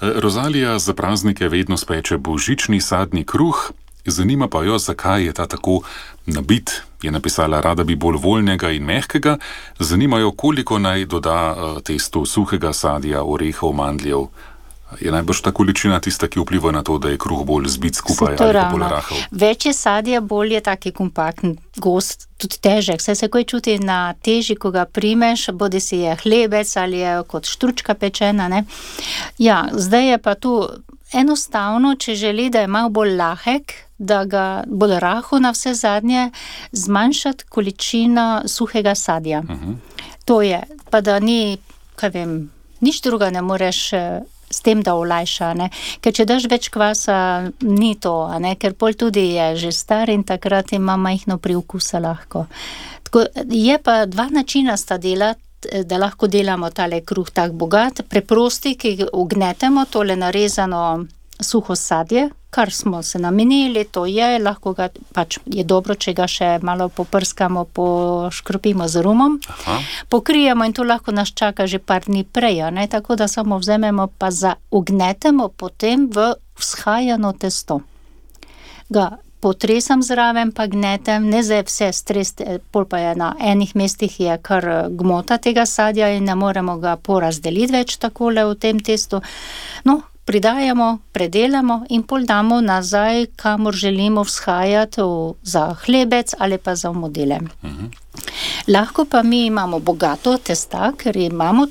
Rozalija za praznike vedno speče božični sadni kruh, zanima pa jo, zakaj je ta tako nabit. Je napisala, rada bi bolj voljnega in mehkega, zanima jo, koliko naj doda testu suhega sadja, orehov, mandljev. Je najbrž ta količina tista, ki vpliva na to, da je kruh bolj zbit skupaj ali pa bolj rahel? Več je sadja, bolj je taki kompaktn, gost, tudi težek. Vse se kaj čuti na teži, ko ga primeš, bodi si je hlebec ali je kot štručka pečena, ne. Ja, zdaj je pa tu enostavno, če želi, da je malo bolj lahek, da ga bolj rahel na vse zadnje, zmanjšati količino suhega sadja. To je, pa da ni, kaj vem, nič druga ne moreš s tem, da olajša, ne. Ker če daš več kvasa, ni to, ne, ker pol tudi je že star in takrat ima majhno priokusa lahko. Tako, je pa dva načina sta delati, da lahko delamo tale kruh tak bogat, preprosti, ki ga ugnetemo, tole narezano suho sadje, kar smo se namenili, to je, lahko ga, pač je dobro, če ga še malo poprskamo, poškropimo z rumom, pokrijemo in to lahko nas čaka že par dni prej, ne, tako da samo vzamemo pa ugnetemo potem v vzhajano testo. Ga potresam zraven, pa gnetem, ne zdaj vse stresti, pol pa je na enih mestih je kar gmota tega sadja in ne moremo ga porazdeliti več takole v tem testu. No, pridajamo, predelamo in pol damo nazaj, kamor želimo vzhajati, za hlebec ali pa za modele. Lahko pa mi imamo bogato testa, ker imamo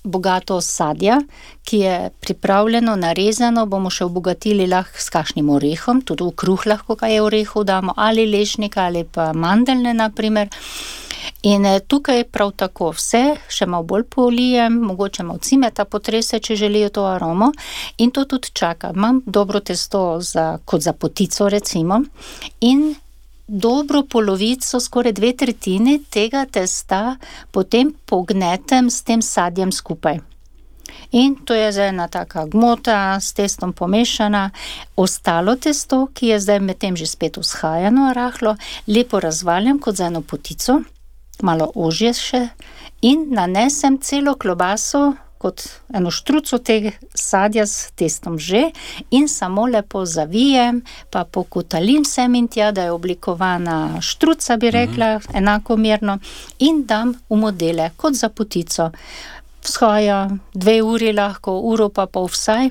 bogato sadja, ki je pripravljeno, narezano, bomo še obogatili lahko s kakšnim orehom, tudi v kruh lahko kaj orehov damo, ali lešnika, ali pa mandeljne, na primer. In tukaj prav tako vse, še malo bolj polijem, mogoče malo cimeta potrese, če želijo to aromo, in to tudi čaka. Imam dobro testo kot za potico, recimo, in dobro polovico, skoraj 2/3 tega testa potem pognetem s tem sadjem skupaj. In to je zdaj ena taka gmota, s testom pomešana. Ostalo testo, ki je zdaj medtem že spet vzhajano, rahlo, lepo razvaljam kot za eno potico, malo ožje še, in nanesem celo klobaso, kot eno štruco tega sadja s testom že, in samo lepo zavijem, pa pokotalim sem in tja, da je oblikovana štruca, bi rekla, enakomerno, in dam v modele, kot za potico. Vzhaja 2 uri lahko, uro pa pol vsaj.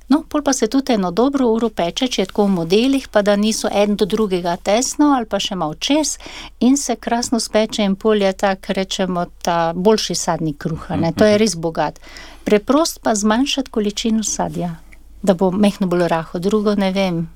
No, pol pa se tudi eno dobro uro peče, če je tako v modelih, pa da niso en do drugega tesno, ali pa še malo čez, in se krasno speče in pol je tak, rečemo, ta boljši sadni kruha, ne, to je res bogat. Preprost pa zmanjšati količino sadja, da bo mehno bolj rahel, drugo ne vem.